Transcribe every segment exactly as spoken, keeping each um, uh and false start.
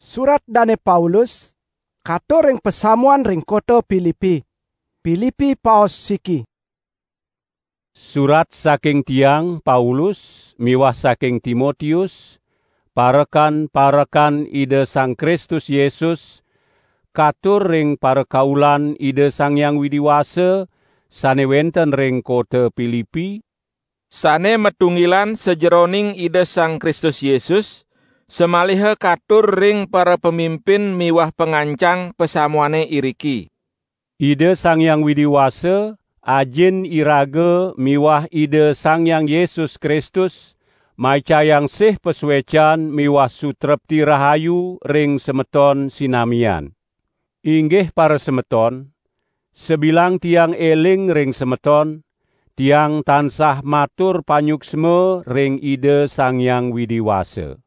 Surat Dane Paulus katur ring pasamuan ring kota Pilipi. Pilipi paos siki. Surat saking tiang, Paulus, miwah saking Timotius, parekan-parekan Ida Sang Kristus Yesus, katur ring parakaulan Ida Sang Hyang Widi Wasa sane wenten ring kota Pilipi, sane matunggilan sajeroning Ida Sang Kristus Yesus, samaliha katur ring para pamimpin miwah pangancang pasamuane iriki. Ida Sang Hyang Widi Wasa, Ajin iraga miwah Ida Sang Hyang Yesus Kristus, maicayang sih pasuecan miwah sutrepti rahayu ring semeton sinamian. Inggih parasemeton, sabilang tiang eling ring semeton, tiang tansah matur panyuksma ring Ida Sang Hyang Widi Wasa.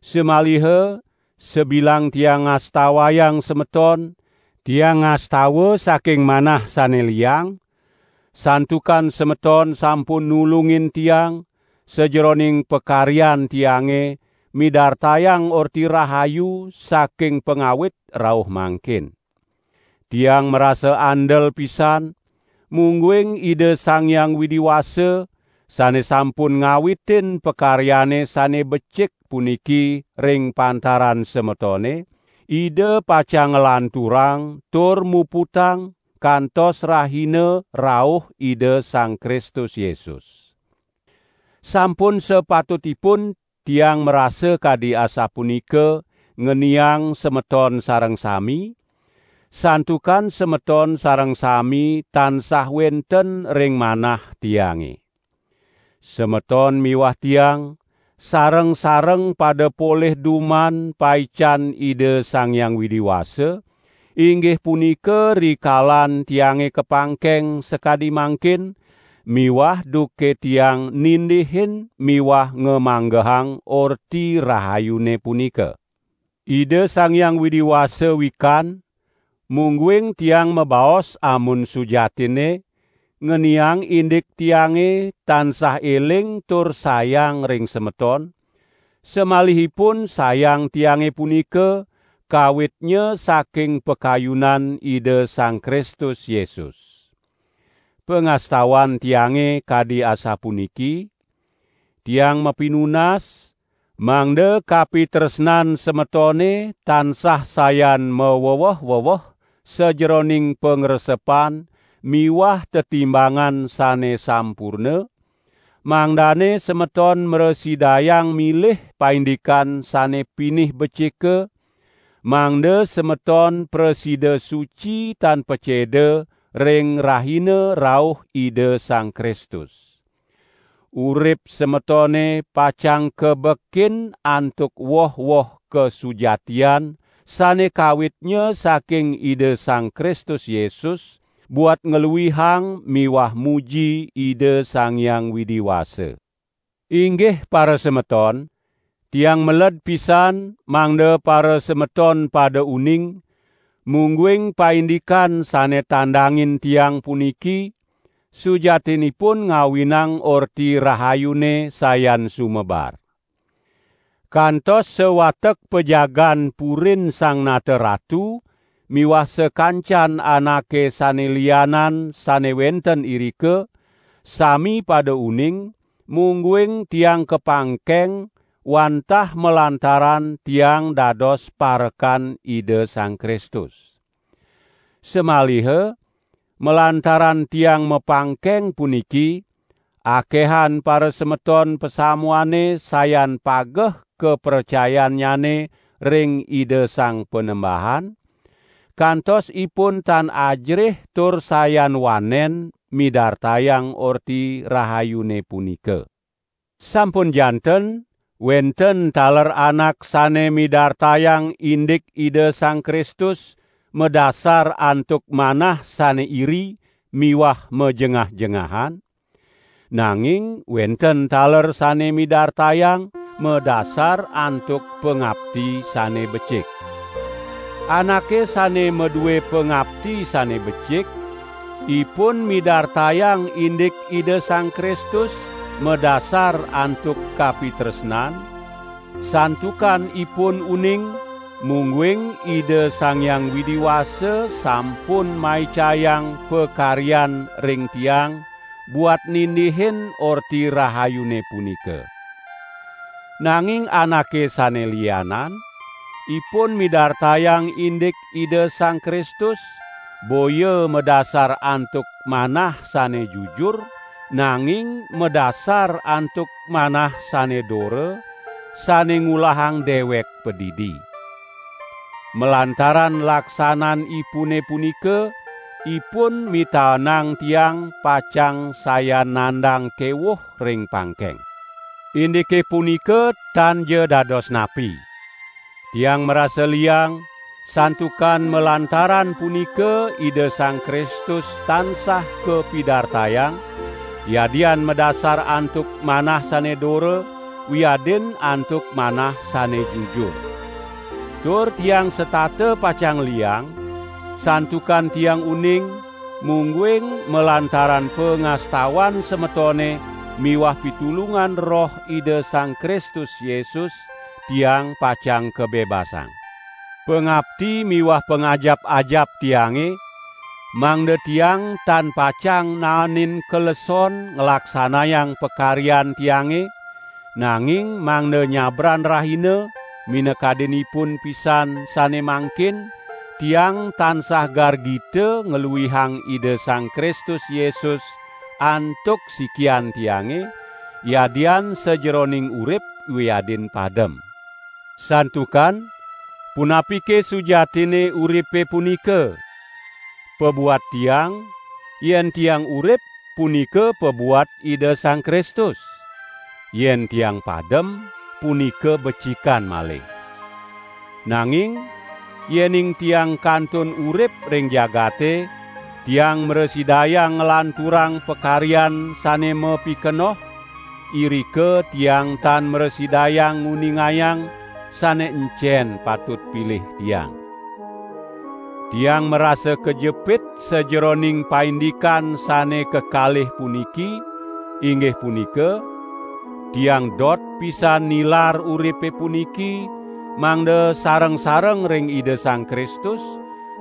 Samaliha sabilang tiang ngastawayang semeton, tiang ngastawa saking manah sane liang, santukan semeton sampun nulungin tiang sajeroning pakaryan tiange midartayang Orti Rahayu saking pangawit rauh mangkin. Tiang marasa andel pisan, mungguing Ida Sang Hyang Widi Wasa, sane sampun ngawitin pakaryane sane becik puniki ring pantaran semetone, Ida pacang nglanturang tur muputang kantos rahina rauh Ida Sang Kristus Yesus. Sampun sapatutipun tiang marasa kadi asapunika ngeniang semeton sareng sami, santukan semeton sareng sami tansah wenten ring manah tiange. Semeton miwah tiang sareng-sareng pada polih duman paican Ida Sang Hyang Widi Wasa, inggih punika rikalan tiange kapangkeng sakadi mangkin, miwah duke tiang nindihin miwah ngamanggehang Orti Rahayune punika. Ida Sang Hyang Widi Wasa wikan, mungguing tiang mabaos amun sujatinne, ngeniang indik tiange tansah eling tur sayang ring semeton, samalihipun sayang tiange punika kawitnya saking pakayunan Ida Sang Kristus Yesus. Pangastawan tiange kadi asapuniki, tiang mapinunas, mangda kapitresnan semetone tansah sayan maweweh-weweh sajeroning pangresepan miwah tetimbangan sane sampurna, mangdane semeton mrasidayang milih paindikan sane pinih becika, mangda semeton prasida suci tan paceda ring rahina rauh Ida Sang Kristus. Urip semetone pacang kabekin antuk woh-woh kasujatian sane kawitnya saking Ida Sang Kristus Yesus, buat ngluihang miwah muji Ida Sang Hyang Widi Wasa. Inggih parasemeton, tiang meled pisan mangda parasemeton pada uning, mungguing paindikan sane tandangin tiang puniki sujatinipun ngawinang Orti Rahayune sayan sumebar. Kantos sawatek pajagan purin Sang Nata Ratu miwah sakancan anake sane lianan sane wenten irika, sami pada uning, mungguing tiang kapangkeng wantah malantaran tiang dados parekan Ida Sang Kristus. Samaliha, malantaran tiang mapangkeng puniki, akehan parasemeton pasamuane sayan pageh kapracayannyane ring Ida Sang Panembahan, kantos ipun tan ajrih tur sayan wanen midartayang Orti Rahayune punika. Sampun janten, wenten taler anak sane midartayang indik Ida Sang Kristus madasar antuk manah sane iri miwah majengah-jengahan, nanging wenten taler sane midartayang madasar antuk pangapti sane becik. Anake sane madue pangapti sane becik, ipun midartayang indik Ida Sang Kristus madasar antuk kapitresnan, santukan ipun uning mungguing Ida Sang Hyang Widi Wasa sampun maicayang pakaryan ring tiang buat nindihin Orti Rahayune punika. Nanging anake sane lianan, ipun midartayang indik Ida Sang Kristus, boya madasar antuk manah sane jujur, nanging madasar antuk manah sane dora, sane ngulahang dewek padidi. Malantaran laksananipune punika, ipun mitaenang tiang pacang sayan nandang kewuh ring pangkeng. Indike punika tan ja dados napi. Tiang marasa liang, santukan malantaran punika Ida Sang Kristus tansah kapidartayang, yadian madasar antuk manah sane dora, wiadin antuk manah sane jujur. Tur tiang setata pacang liang, santukan tiang uning, mungguing malantaran pangastawan semetone miwah pitulungan Roh Ida Sang Kristus Yesus, tiang pacang kabebasang. Pangapti miwah pangajap-ajap tiange, mangda tiang tan pacang naenin kaleson nglaksanayang pakaryan tiange, nanging mangda nyabran rahina, minakadinipun pisan sane mangkin, tiang tansah gargita ngluihang Ida Sang Kristus Yesus antuk sikian tiange, yadian sajeroning urip wiadin padem. Santukan, punapike sujatinne uripe punika? Pabuat tiang, yen tiang urip, punika pabuat Ida Sang Kristus. Yen tiang padem, punika becikan malih. Nanging, yening tiang kantun urip ring jagate, tiang mrasidayang nglanturang pakaryan sane mapikenoh, irika tiang tan mrasidayang nguningayang sane encen patut pilih tiang. Tiang marasa kajepit sajeroning paindikan sane kekalih puniki, inggih punika, tiang dot pisan nilar uripe puniki, mangda sareng-sareng ring Ida Sang Kristus,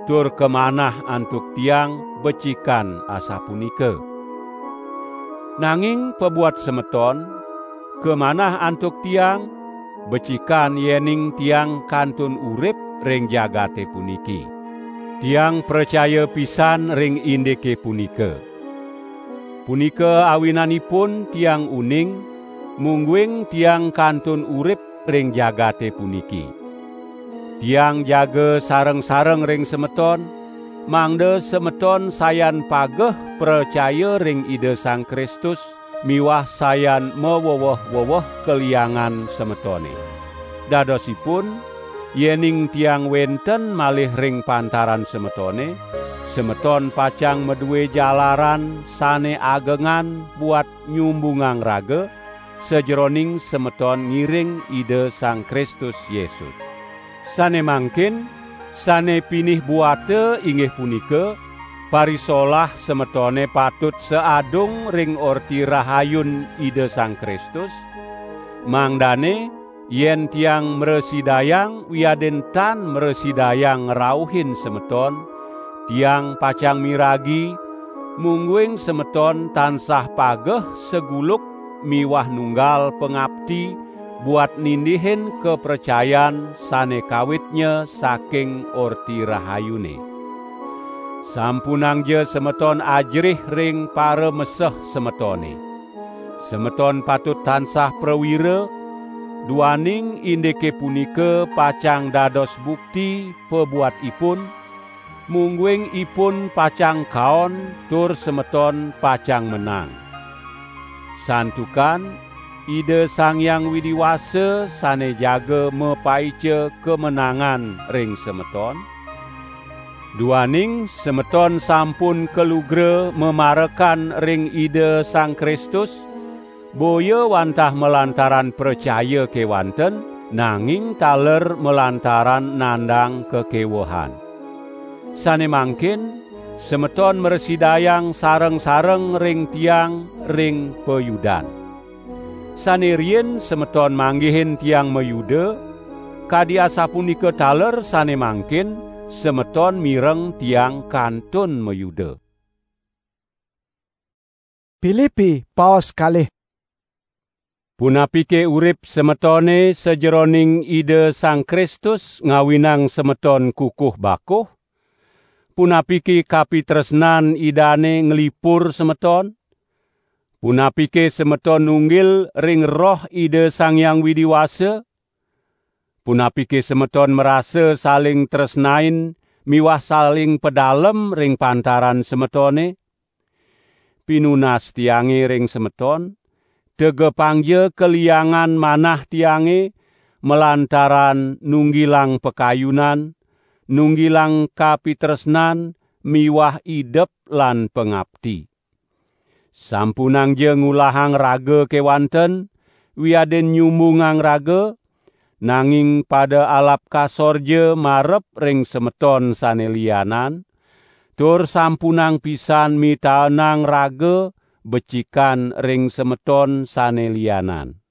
tur kamanah antuk tiang becikan asapunika. Nanging pabuat semeton, kamanah antuk tiang, becikan yening tiang kantun urip ring jagate puniki. Tiang pracaya pisan ring indike punika. Punika awinanipun tiang uning, mungguing tiang kantun urip ring jagate puniki. Tiang jaga sareng-sareng ring semeton, mangda semeton sayan pageh pracaya ring Ida Sang Kristus miwah sayan maweweh-weweh kaliangan semetone. Dadosipun, yening tiang wenten malih ring pantaran semetone, semeton pacang madue jalaran sane agengan buat nyumbungang raga, sajeroning semeton ngiring Ida Sang Kristus Yesus. Sane mangkin, sane pinih buata inggih punika, parisolah semetone patut saadung ring Orti Rahayun Ida Sang Kristus, mangdane yen tiang mrasidayang wiadin tan mrasidayang ngrauhin semeton, tiang pacang miragi, mungguing semeton tansah pageh saguluk miwah nunggal pangapti buat nindihin kapracayan sane kawitnya saking Orti Rahayune. Sampunangja semeton ajerih ring parameseh semetone. Semeton patut tansah prawira, duaning indike punika pacang dados bukti pabuat ipun, mungguing ipun pacang kaon tur semeton pacang menang. Santukan Ida Sang Hyang Widi Wasa sane jaga mapaica kamenangan ring semeton. Duaning semeton sampun kalugra mamarekan ring Ida Sang Kristus, boya wantah malantaran pracaya kewanten, nanging taler malantaran nandang kakewehan. Sane mangkin, semeton mrasidayang sareng-sareng ring tiang ring payudan. Sane riin semeton manggihin tiang mayuda, Kadi asapunika taler sane mangkin semeton mireng tiang kantun mayuda. Pilipi paos kalih. Punapike urip semetone sajeroning Ida Sang Kristus ngawinang semeton kukuh bakuh? Punapike kapitresnan Idane nglipur semeton? Punapike semeton nunggil ring Roh Ida Sang Hyang Widi Wasa? Punapike semeton marasa saling tresnain miwah saling pedalem ring pantaran semetone? Pinunas tiange ring semeton, tegepangja kaliangan manah tiange malantaran nunggilang pakayunan, nunggilang kapitresnan miwah idep lan pangapti. Sampunangja ngulahang raga kewanten, wiadin nyumbungang raga, nanging pada alap kasorja marep ring semeton sane lianan, tur sampunang pisan mitaenang raga becikan ring semeton sane lianan.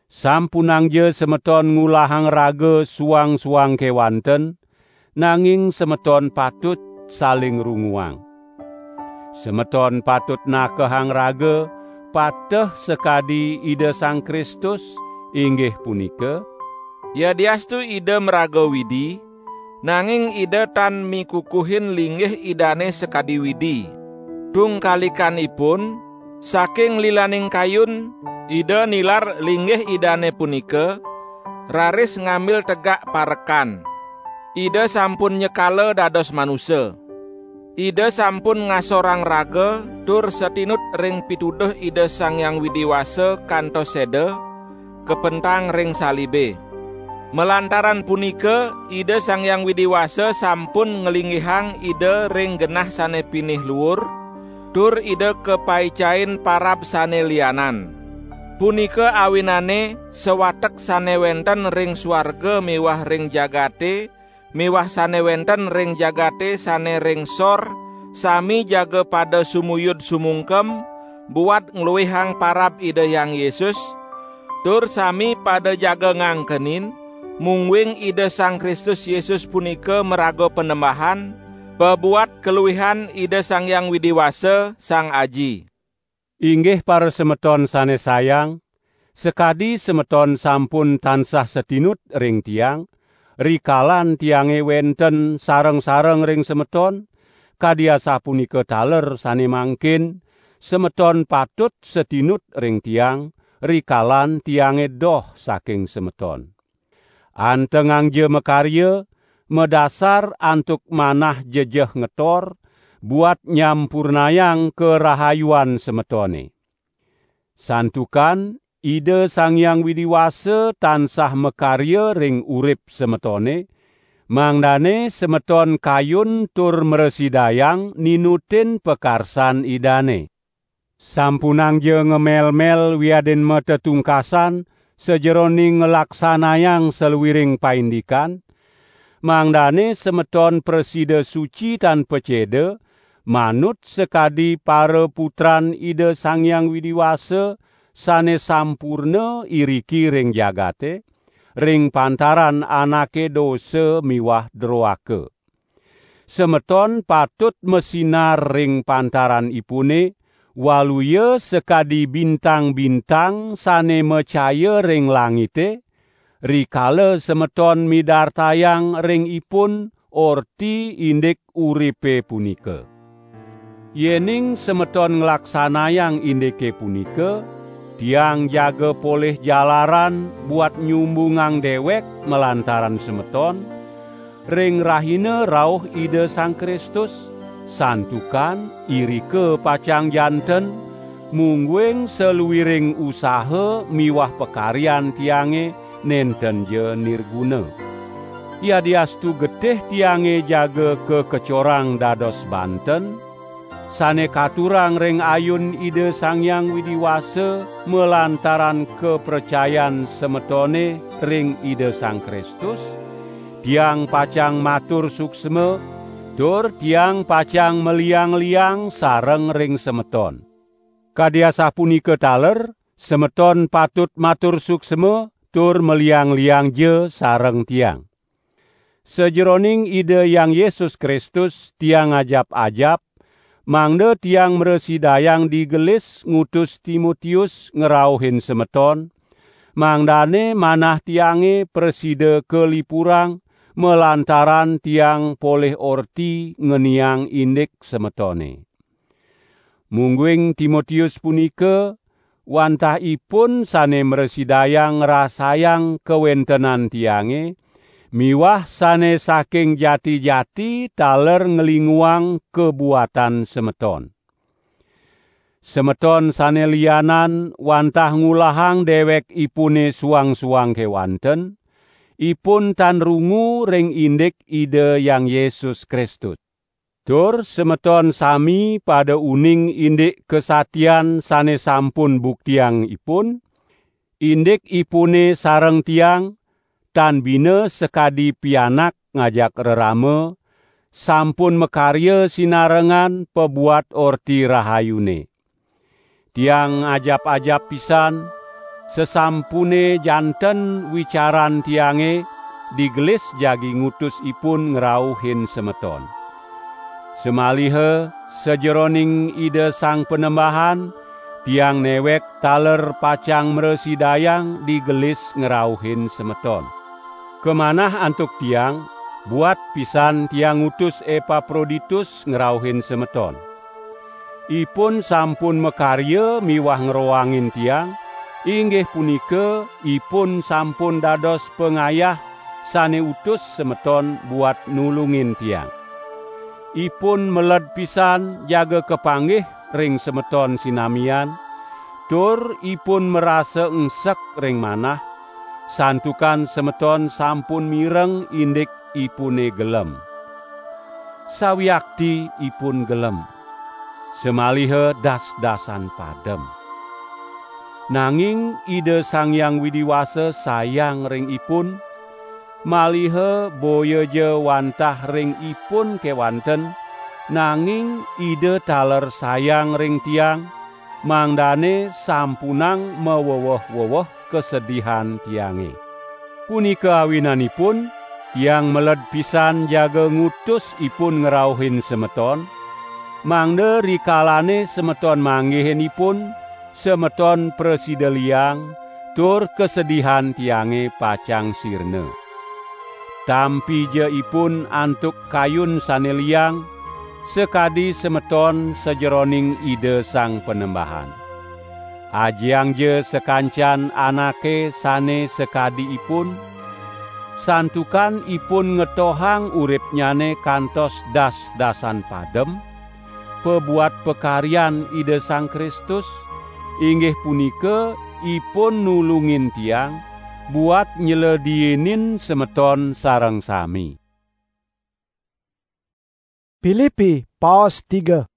Sampunangja semeton ngulahang raga suang-suang kewanten, nanging semeton patut saling runguang. Semeton patut nakehang raga pateh sakadi Ida Sang Kristus, inggih punika, yadiastu Ida maraga Widi, nanging Ida tan mikukuhin linggih Idane sakadi Widi. Tungkalikanipun, saking lilaning kayun, Ida nilar linggih Idane punika, raris ngambil tegak parekan. Ida sampun nyekala dados manusa. Ida sampun ngasorang raga tur satinut ring pituduh Ida Sang Hyang Widi Wasa kantos seda, kapentang ring salibe. Malantaran punika, Ida Sang Hyang Widi Wasa sampun nglinggihang Ida ring genah sane pinih luur, tur Ida kapaicain parab sane lianan. Punika awinane sawatek sane wenten ring suarga miwah ring jagate, miwah sane wenten ring jagate sane ring sor, sami jaga pada sumuyud sumungkem, buat ngluihang parab Ida Hyang Yesus, tur sami pada jaga ngangkenin, mungguing Ida Sang Kristus Yesus punika maraga Panembahan, pabuat kaluihan Ida Sang Hyang Widi Wasa, Sang Aji. Inggih parasemeton sane sayang, sakadi semeton sampun tansah satinut ring tiang, rikalan tiange wenten sareng-sareng ring semeton, kadi asapunika taler sane mangkin, semeton patut satinut ring tiang, rikalan tiange doh saking semeton. Antengangja makarya, madasar antuk manah jejeh ngetor, buat nyampurnayang karahayuan semetone. Santukan Ida Sang Hyang Widi Wasa tansah makarya ring urip semetone, mangdane semeton kayun tur mrasidayang ninutin pakarsan Idane. Sampunangja ngemel-mel wiadin matetungkasan sajeroning nglaksanayang saluiring paindikan, mangdane semeton prasida suci tan paceda, manut sakadi paraputran Ida Sang Hyang Widi Wasa sane sampurna iriki ring jagate, ring pantaran anake dosa miwah droaka. Semeton patut masinar ring pantaranipune, waluya sakadi bintang-bintang sane macaya ring langite, rikala semeton midartayang ring ipun orti indik uripe punika. Yening semeton nglaksanayang indike punika, tiang jaga polih jalaran buat nyumbungang dewek malantaran semeton, ring rahina rauh Ida Sang Kristus, santukan irika pacang janten, mungguing saluiring usaha miwah pakaryan tiange nentenja nirguna. Yadiastu getih tiange jaga kakecorang dados banten, sane katurang ring ayun Ida Sang Hyang Widi Wasa malantaran kapracayan semetone ring Ida Sang Kristus, tiang pacang matur suksma, tur tiang pacang maliang-liang sareng ring semeton. Kadi asapunika taler, semeton patut matur suksma, tur maliang-liangja sareng tiang. Sajeroning Ida Hyang Yesus Kristus, tiang ajap-ajap, mangda tiang mrasidayang digelis ngutus Timotius ngrauhin semeton, mangdane manah tiange prasida kalipurang malantaran tiang polih orti ngeniang indik semetone. Mungguing Timotius punika, wantah ipun sane mrasidayang ngrasayang kawentenan tiange, miwah sane saking jati-jati taler nglinguang kabuatan semeton. Semeton sane lianan wantah ngulahang dewekipune suang-suang kewanten, ipun tan rungu ring indik Ida Hyang Yesus Kristus. Tur semeton sami pada uning indik kasatian sane sampun buktiang ipun, indik ipune sareng tiang, tan bina sakadi pianak ngajak rerama, sampun makarya sinarengan pabuat Orti Rahayune. Tiang ajap-ajap pisan, sasampune janten wicaran tiange digelis jagi ngutus ipun ngrauhin semeton. Samaliha sajeroning Ida Sang Panembahan, tiang newek taler pacang mrasidayang digelis ngrauhin semeton. Kamanah antuk tiang, buat pisan tiang ngutus Epaproditus ngrauhin semeton. Ipun sampun makarya miwah ngroangin tiang, inggih punika ipun sampun dados pangayah sane utus semeton buat nulungin tiang. Ipun meled pisan jaga kapanggih ring semeton sinamian, tur ipun marasa engsek ring manah, santukan semeton sampun mireng indik ipune gelem. Sawiakti ipun gelem, samaliha das-dasan padem. Nanging Ida Sang Hyang Widi Wasa sayang ring ipun, maliha boyaja wantah ring ipun kewanten, nanging Ida taler sayang ring tiang, mangdane sampunang maweweh-weweh kasedihan tiange. Punika awinanipun, tiang meled pisan jaga ngutus ipun ngrauhin semeton, mangda rikalane semeton manggihin ipun, semeton prasida liang, tur kasedihan tiange pacang sirna. Tampija ipun antuk kayun sane liang, sakadi semeton sajeroning Ida Sang Panembahan. Ajiangja sakancan anake sane sakadi ipun, santukan ipun ngetohang uripnyane kantos das-dasan padem, pabuat pakaryan Ida Sang Kristus, inggih punika ipun nulungin tiang buat nyledienin semeton sareng sami. Pilipi, paos tiga.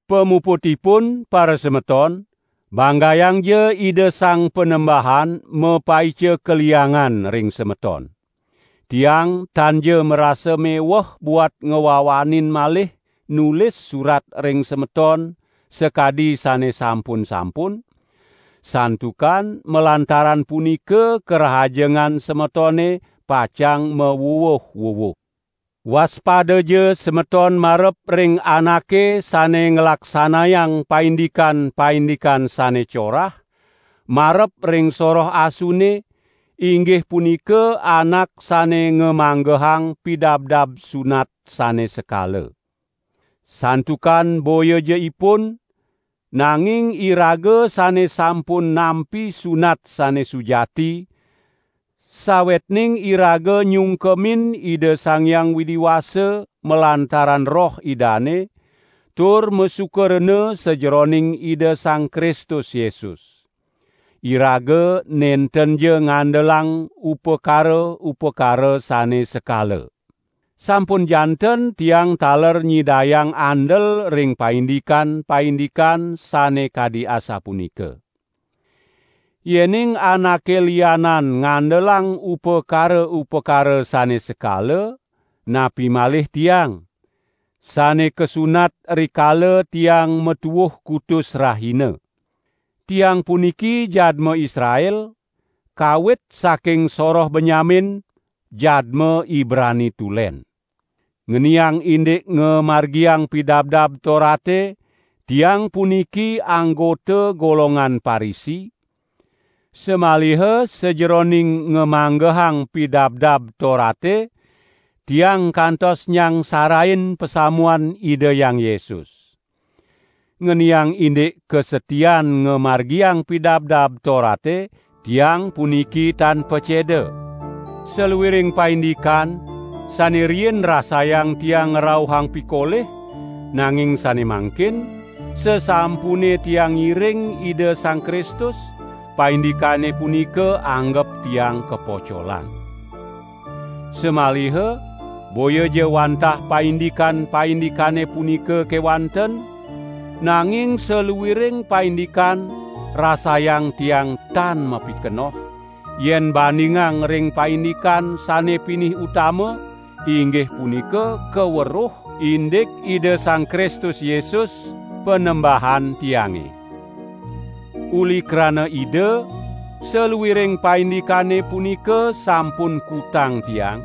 Pamuputipun, parasemeton, banggayangja Ida Sang Panembahan mapaica kaliangan ring semeton. Tiang tanja marasa meweh buat ngwawanin malih nulis surat ring semeton sakadi sane sampun-sampun, santukan malantaran punika karahajengan semetone pacang mawuwuh-wuwuh. Waspadaja semeton marep ring anake sane nglaksanayang paindikan-paindikan sane corah, marep ring soroh asune, inggih punika anak sane ngamanggehang pidabdab sunat sane sekala. Santukan boyaja ipun, nanging iraga sane sampun nampi sunat sane sujati, sawetning iraga nyungkemin Ida Sang Hyang Widi Wasa malantaran Roh Idane, tur masuka rena sajeroning Ida Sang Kristus Yesus. Iraga nentenja ngandelang upakara-upakara sane sekala. Sampun janten tiang taler nyidayang andel ring paindikan-paindikan sane kadi asapunika. Yening anake lianan ngandelang upakara-upakara sane sekala, napi malih tiang, sane kasunat rikala tiang matuwuh kutus rahina? Tiang puniki jadma Israel, kawit saking soroh Benyamin, jadma Ibrani tulen. Ngeniang indik ngamargiang Pidabdab Torate, tiang puniki anggota golongan Parisi. Samaliha sajeroning ngamanggehang Pidabdab Torate, tiang kantos nyangsarain pasamuan Ida Hyang Yesus. Ngeniang indik kasetian ngamargiang Pidabdab Torate, tiang puniki tan paceda. Saluiring paindikan, sane riin rasayang tiang ngrauhang pikolih, nanging sane mangkin, sasampune tiang ngiring Ida Sang Kristus, paindikane punika anggep tiang kapocolan. Samaliha, boya ja wantah paindikan-paindikane punika kewanten, nanging saluiring paindikan rasayang tiang tan mapikenoh, yen bandingang ring paindikan sane pinih utama, inggih punika kaweruh indik Ida Sang Kristus Yesus, Panembahan tiange. Uli krana Ida, saluiring paindikane punika sampun kutang tiang,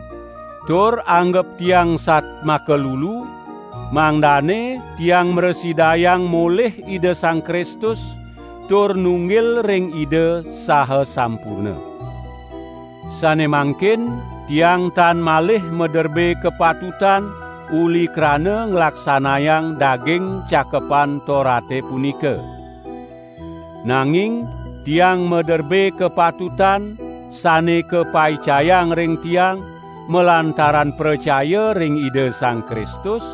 tur anggep tiang satmaka lulu, mangdane tiang mrasidayang molih Ida Sang Kristus, tur nunggil ring Ida saha sampurna. Sane mangkin, tiang tan malih maderbe kapatutan uli krana nglaksanayang daging Cakepan Torate punika. Nanging tiang maderbe kapatutan sane kapaicayang ring tiang malantaran pracaya ring Ida Sang Kristus,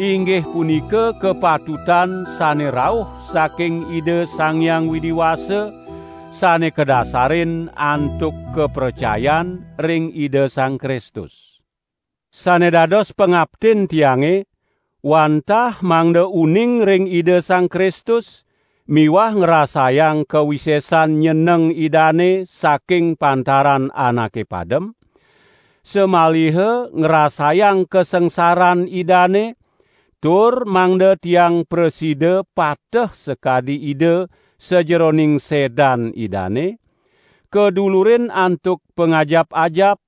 inggih punika kapatutan sane rauh saking Ida Sang Hyang Widi Wasa, sane kadasarin antuk kapracayan ring Ida Sang Kristus. Sane dados pangaptin tiange, wantah mangda uning ring Ida Sang Kristus miwah ngrasayang kawisesan nyeneng Idane saking pantaran anake padem, samaliha ngrasayang kasangsaran Idane, tur mangda tiang prasida pateh sakadi Ida sajeroning sedan Idane, kadulurin antuk pangajap-ajap,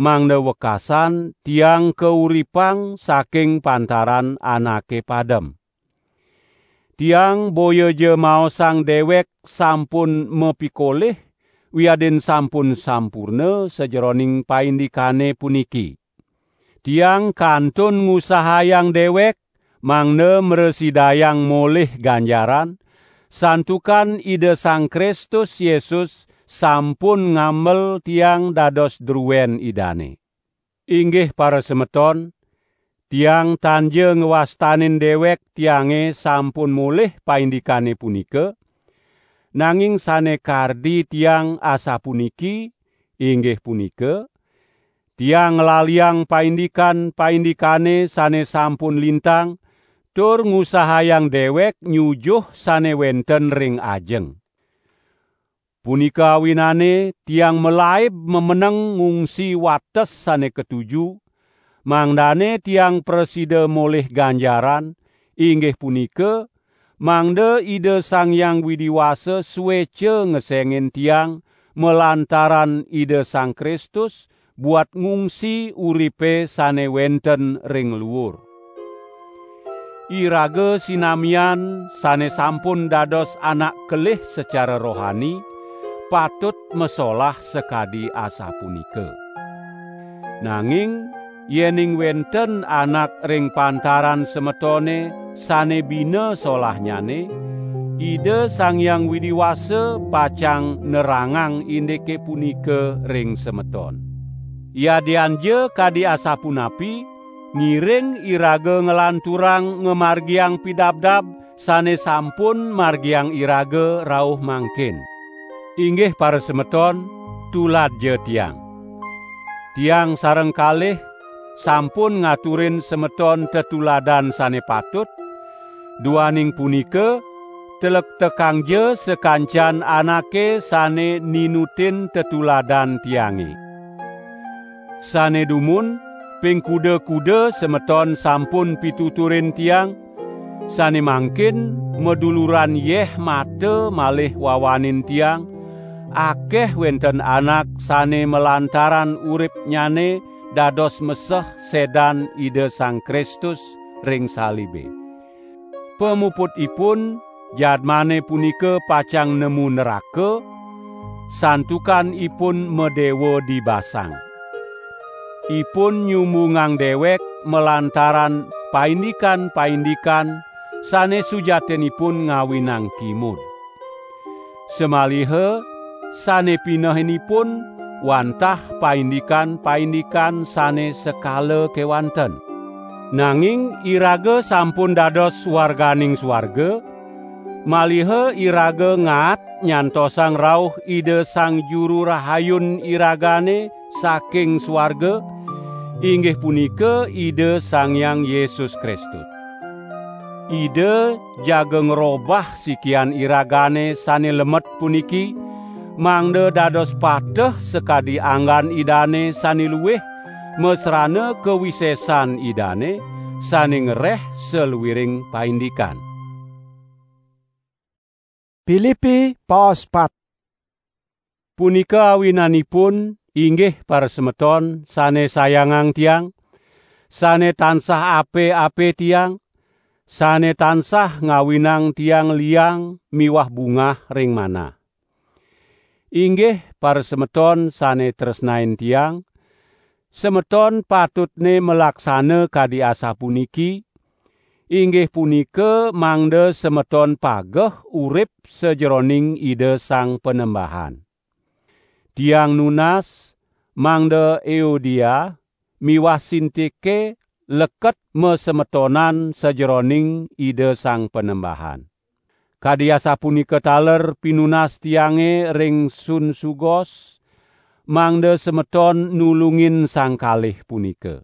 mangda wekasan tiang kauripang saking pantaran anake padem. Tiang boya ja maosang dewek sampun mapikolih, wiadin sampun sampurna sajeroning paindikane puniki. Tiang kantun ngusahayang dewek, mangda mrasidayang molih ganjaran, santukan Ida Sang Kristus Yesus sampun ngamel tiang dados druen Idane. Inggih parasemeton, tiang tan ja ngwastanin dewek tiange sampun molih paindikane punika, nanging sane kardi tiang asapuniki, inggih punika, tiang nglaliang paindikan-paindikane sane sampun lintang, tur ngusahayang dewek nyujuh sane wenten ring ajeng. Punika awinane tiang malaib mameneng ngungsi wates sane katuju, mangdane tiang prasida molih ganjaran, inggih punika, mangda Ida Sang Hyang Widi Wasa sueca ngesengin tiang malantaran Ida Sang Kristus buat ngungsi uripe sane wenten ring luur. Iraga sinamian sane sampun dados anak kelih secara rohani, patut masolah sakadi asapunika. Nanging yening wenten anak ring pantaran semetone sane bina solahnyane, Ida Sang Hyang Widi Wasa pacang nerangang indike punika ring semeton. Yadian ja kadi asapunapi, ngiring iraga nglanturang ngamargiang pidabdab sane sampun margiang iraga rauh mangkin. Inggih parasemeton, tuladja tiang. Tiang sareng kalih sampun ngaturin semeton tetuladan sane patut, duaning punika, telektekangja sakancan anake sane ninutin tetuladan tiange. Sane dumun, ping kuda-kuda semeton sampun pituturin tiang, sane mangkin maduluran yeh mata malih wawanin tiang, akeh wenten anak sane malantaran uripnyane dados meseh sedan Ida Sang Kristus ring salibe. Pamuputipun, jadmane punika pacang nemu neraka, santukan ipun madewa dibasang. Ipun nyumbungang dewek malantaran paindikan-paindikan sane sujatinipun ngawinang kimud. Samaliha sane pinehinipun wantah paindikan-paindikan sane sekala kewanten. Nanging iraga sampun dados warganing swarga, maliha iraga ngaat nyantosang rauh Ida Sang Juru Rahayun iragane saking swarga, inggih punika Ida Sang Hyang Yesus Kristus. Ida jaga ngrobah sikian iragane sane lemet puniki, mangda dados pateh sakadi anggan Idane sane luih, masrana kawisesan Idane sane ngereh saluiring paindikan. Pilipi paos pat. Punika awinanipun, inggih parasemeton sane sayangang tiang, sane tansah ape-ape tiang, sane tansah ngawinang tiang liang miwah bungah ring manah. Inggih parasemeton sane tresnain tiang, semeton patutne malaksana kadi asapuniki, inggih punika mangda semeton pageh urip sajeroning Ida Sang Panembahan. Tiang nunas mangda Euodia miwah Sintike leket masemetonan sajeroning Ida Sang Panembahan. Kadi asapunika taler pinunas tiange ring Sunsugos, mangda semeton nulungin sang kalih punika.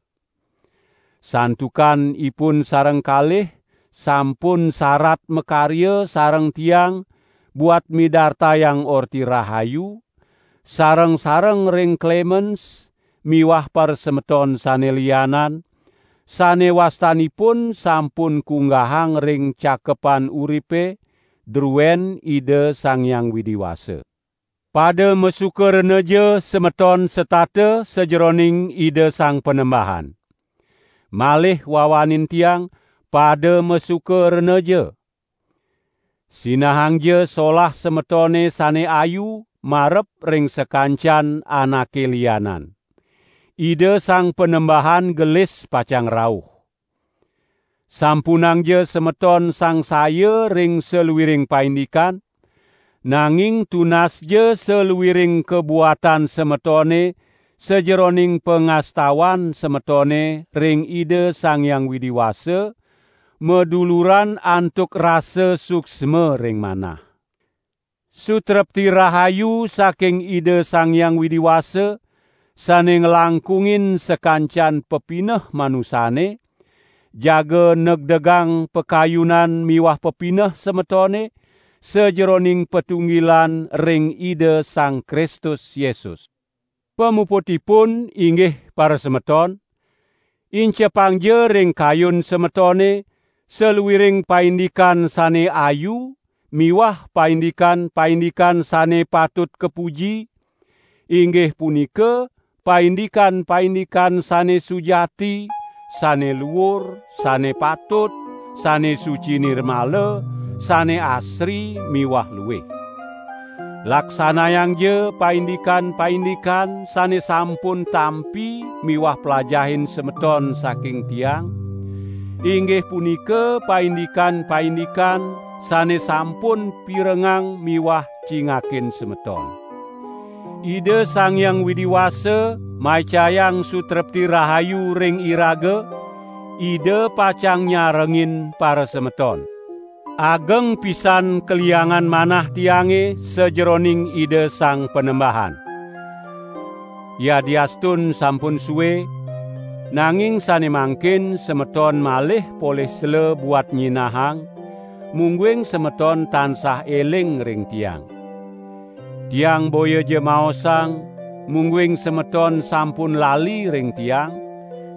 Santukan ipun sareng kalih sampun sarat makarya sareng tiang buat midartayang Orti Rahayu, sareng-sareng ring Klemens miwah parasemeton sane lianan, sane wastanipun sampun kunggahang ring Cakepan Uripe druen Ida Sang Hyang Widi Wasa. Pada masuka renaja semeton setata sajeroning Ida Sang Panembahan. Malih wawanin tiang, pada masuka renaja. Sinahangja solah semetone sane ayu marep ring sakancan anake lianan. Ida Sang Panembahan gelis pacang rauh. Sampunangja semeton sangsaya ring saluiring paindikan, nanging tunasja saluiring kabuatan semetone sajeroning pangastawan semetone ring Ida Sang Hyang Widi Wasa, maduluran antuk rasa suksma ring manah. Sutrepti rahayu saking Ida Sang Hyang Widi Wasa, sane nglangkungin sakancan pepineh manusane, jaga negdegang pakayunan miwah pepineh semetone, sajeroning patunggilan ring Ida Sang Kristus Yesus. Pamuputipun, inggih parasemeton, incepangja ring kayun semetone saluiring paindikan sane ayu miwah paindikan-paindikan sane patut kapuji, inggih punika paindikan-paindikan sane sujati, sane luur, sane patut, sane suci nirmala, sane asri miwah luih. Laksanayangja paindikan-paindikan sane sampun tampi miwah plajahin semeton saking tiang, inggih punika paindikan-paindikan sane sampun pirengang miwah cingakin semeton. Ida Sang Hyang Widi Wasa maicayang sutrepti rahayu ring iraga, Ida pacang nyarengin parasemeton. Ageng pisan kaliangan manah tiange sajeroning Ida Sang Panembahan. Yadiastun sampun sue, nanging sane mangkin semeton malih polih sela buat nyinahang, mungguing semeton tansah eling ring tiang. Tiang boyaja maosang, mungguing semeton sampun lali ring tiang,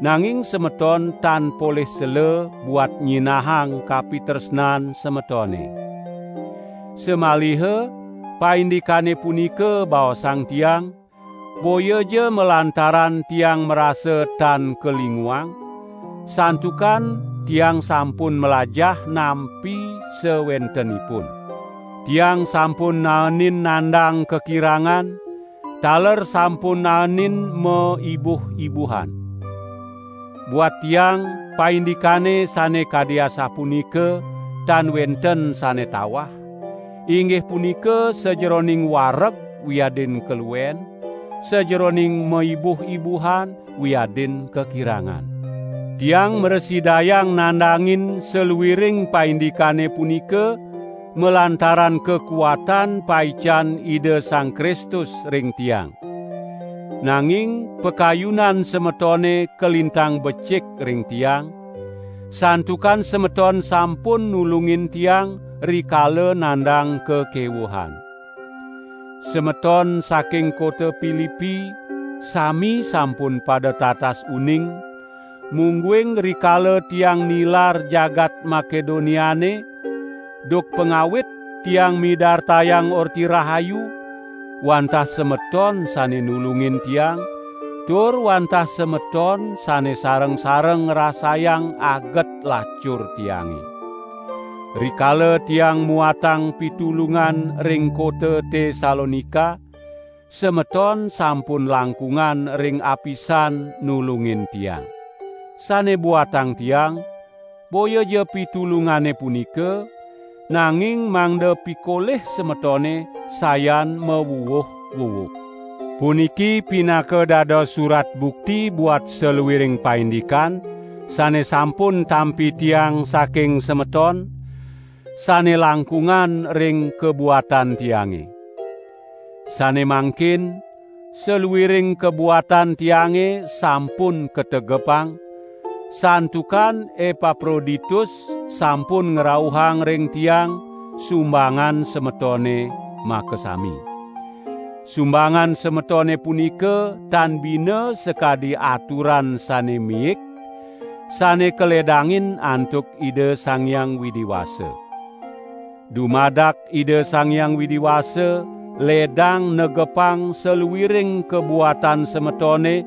nanging semeton tan polih sela buat nyinahang kapitresnan semetone. Samaliha Paindikane punika baosang tiang, boyaja malantaran tiang marasa tan kalinguang, santukan tiang sampun malajah nampi sawentenipun. Tiang sampun naenin nandang kakirangan, taler sampun naenin maibuh-ibuhan. Buat tiang, paindikane sane kadi asapunika tan wenten sane tawah, inggih punika sajeroning wareg wiadin kaluen, sajeroning maibuh-ibuhan wiadin kakirangan. Tiang mrasidayang nandangin saluiring paindikane punika malantaran kakuatan paican Ida Sang Kristus ring tiang. Nanging pakayunan semetone kalintang becik ring tiang, santukan semeton sampun nulungin tiang rikala nandang kakewuhan. Semeton saking kota Pilipi sami sampun pada tatas uning, mungguing rikala tiang nilar jagat Makedoniane, duk pangawit tiang midartayang Orti Rahayu, wantah semeton sane nulungin tiang, tur wantah semeton sane sareng-sareng ngrasayang aget lacur tiange. Rikala tiang muatang pitulungan ring kota Tesalonika, semeton sampun langkungan ring apisan nulungin tiang. Sane buatang tiang, boya ja pitulungane punika, nanging mangda pikolih semetone sayan mawuwuh-wuwuh. Puniki pinaka dados surat bukti buat saluiring paindikan sane sampun tampi tiang saking semeton, sane langkungan ring kabuatan tiange. Sane mangkin, saluiring kabuatan tiange sampun kategepang, santukan Epaproditus sampun ngrauhang ring tiang sumbangan semetone makasami. Sumbangan semetone punika tan bina sakadi aturan sane miik, sane kaledangin antuk Ida Sang Hyang Widi Wasa. Dumadak Ida Sang Hyang Widi Wasa ledang negepang saluiring kabuatan semetone,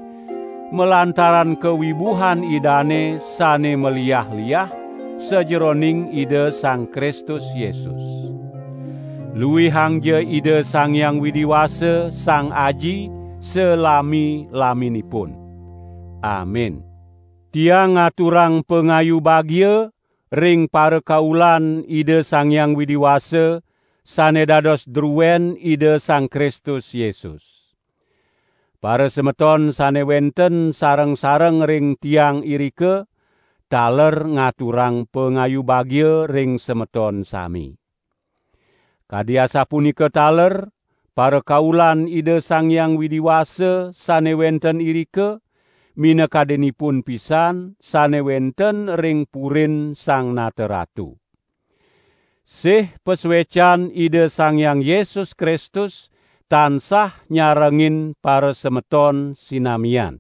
malantaran kawibuhan Idane sane maliah-liah sajeroning Ida Sang Kristus Yesus. Luihangja Ida Sang Hyang Widi Wasa, Sang Aji, salami-laminipun. Amin. Tiang ngaturang pangayu bagia ring parakaulan Ida Sang Hyang Widi Wasa sane dados druen Ida Sang Kristus Yesus. Parasemeton sane wenten sareng-sareng ring tiang irika, taler ngaturang pangayu bagia ring semeton sami. Kadi asapunika taler, parakaulan Ida Sang Hyang Widi Wasa sane wenten irika, minakadinipun pisan sane wenten ring purin Sang Nata Ratu. Sih pasuecan Ida Sang Hyang Yesus Kristus tansah nyarengin parasemeton sinamian.